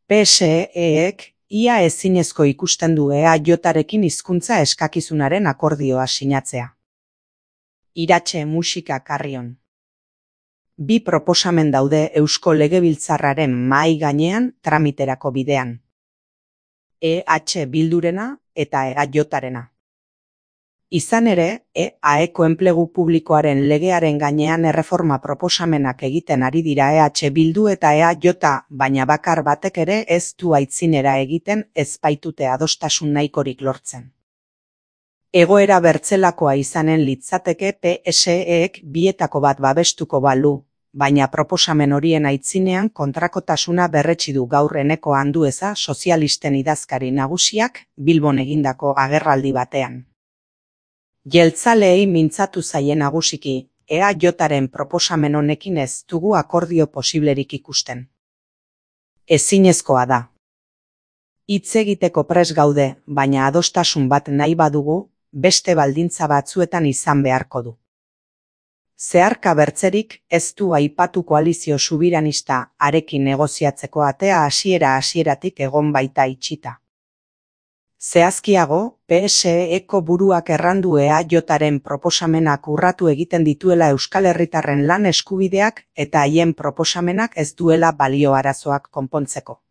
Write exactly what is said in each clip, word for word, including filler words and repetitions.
P S E-ek ia ezinezko ikusten du E A J-arekin hizkuntza eskakizunaren akordioa sinatzea. Iratxe musika Carrion. Bi proposamen daude Eusko Legebiltzarraren mahai gainean tramiterako bidean. E H Bildurena eta E A J-arena. Izan ere, E A-eko enplegu publikoaren legearen gainean erreforma proposamenak egiten ari dira E H Bildu eta E A J, baina bakar batek ere ez du aitzinera egiten ez baitute adostasun nahikorik lortzen. Egoera bertzelakoa izanen litzateke P S E-ek bietako bat babestuko balu, baina proposamen horien aitzinean kontrakotasuna berretsi du gaur Eneko Andueza sozialisten idazkari nagusiak Bilbon egindako agerraldi batean. Jeltzaleei mintzatu zaie nagusiki, E A J-aren proposamen honekin ez dugu akordio posiblerik ikusten. Ezinezkoa da. Hitz egiteko prest gaude, baina adostasun bat nahi badugu, beste baldintza batzuetan izan beharko du. Zeharka bertzerik ez du aipatu koalizio subiranista arekin negoziatzeko atea hasiera hasieratik egon baita itxita. Zehazkiago, P S E-eko buruak errandu E A J-aren proposamenak urratu egiten dituela Euskal Herritarren lan eskubideak eta haien proposamenak ez duela balio arazoak konpontzeko.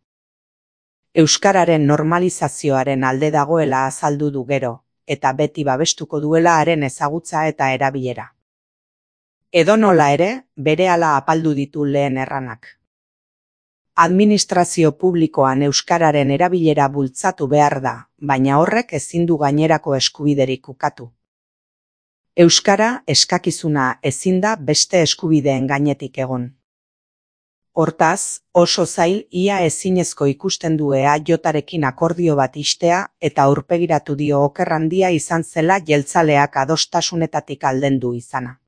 Euskararen normalizazioaren alde dagoela azaldu du gero, eta beti babestuko duela haren ezagutza eta erabilera. Edonola ere, berehala apaldu ditu lehen erranak. Administrazio publikoan euskararen erabilera bultzatu behar da, baina horrek ezin du gainerako eskubiderik ukatu. Euskara eskakizuna ezin da beste eskubideen gainetik egon. Hortaz, oso zail ia ezinezko ikusten du E A J-arekin akordio bat istea eta aurpegiratu dio oker handia izan zela jeltzaleak adostasunetatik aldendu izana.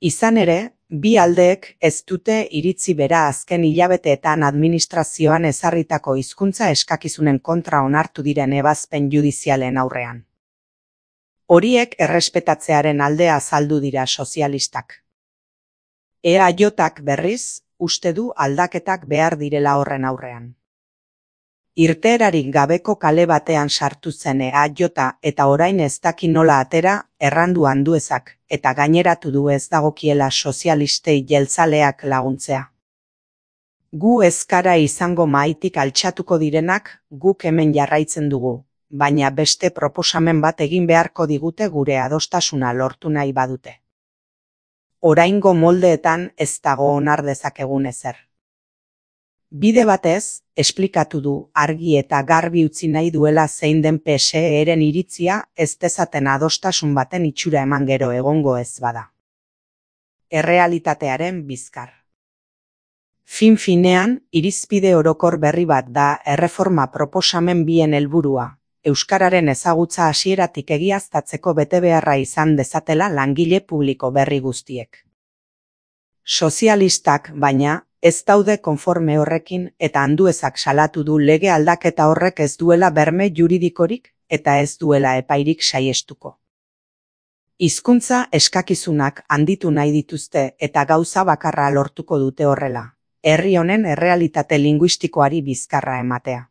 Izan ere, bi aldeek ez dute iritzi bera azken hilabeteetan administrazioan ezarritako hizkuntza eskakizunen kontra onartu diren ebazpen judizialen aurrean. Horiek errespetatzearen aldea azaldu dira sozialistak. E A J-ak berriz, uste du aldaketak behar direla horren aurrean. Irteerarik gabeko kale batean sartu zen E A J eta orain ez daki nola atera errandu Anduezak, eta gaineratu du ez dagokiela sozialistei jeltzaleak laguntzea. Gu ezkara izango mahaitik altxatuko direnak guk hemen jarraitzen dugu, baina beste proposamen bat egin beharko digute gure adostasuna lortu nahi badute. Oraingo moldeetan ez dago onar dezakegun ezer. Bide batez, esplikatu du argi eta garbi utzi nahi duela zein den P S E-ren iritzia ez dezaten adostasun baten itxura eman gero egongo ez bada. Errealitatearen bizkar. Fin-finean, irizpide orokor berri bat da erreforma proposamen bien helburua, euskararen ezagutza hasieratik egiaztatzeko betebeharra izan dezatela langile publiko berri guztiek. Sozialistak, baina, ez daude konforme horrekin eta Anduezak salatu du lege aldaketa horrek ez duela berme juridikorik eta ez duela epairik saiestuko. Hizkuntza eskakizunak handitu nahi dituzte eta gauza bakarra lortuko dute horrela, herri honen errealitate linguistikoari bizkarra ematea.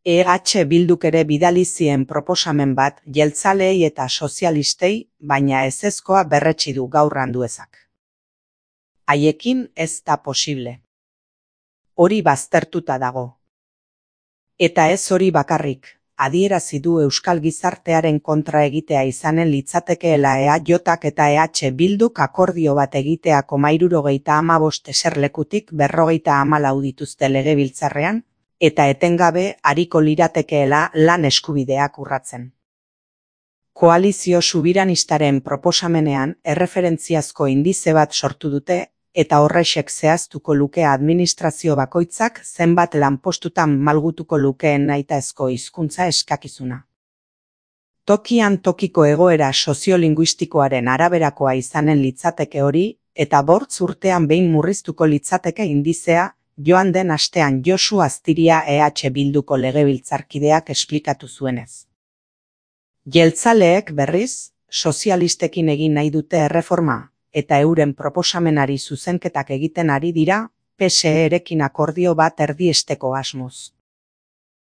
E H Bilduk ere bidali zien proposamen bat jeltzaleei eta sozialistei, baina ezezkoa berretsi du gaur Anduezak. Haiekin ez da posible. Hori baztertuta dago. Eta ez hori bakarrik, adierazi du euskal gizartearen kontra egitea izanen litzatekeela E A J-ak eta E H Bilduk akordio bat egiteako hirurogeita hamabost eserlekutik berrogeita hamalau dituzte legebiltzarrean, eta etengabe ariko liratekeela lan eskubideak urratzen. Koalizio subiranistaren proposamenean erreferentziazko indize bat sortu dute, eta horrexek zehaztuko luke administrazio bakoitzak zenbat lanpostutan malgutuko lukeen nahitaezko hizkuntza eskakizuna. Tokian tokiko egoera soziolinguistikoaren araberakoa izanen litzateke hori, eta bortz urtean behin murriztuko litzateke indizea, joan den astean Josu Aztiria E H Bilduko legebiltzarkideak esplikatu zuenez. Jeltzaleek berriz, sozialistekin egin nahi dute erreforma, eta euren proposamenari zuzenketak egiten ari dira, P S E-rekin akordio bat erdiesteko asmoz.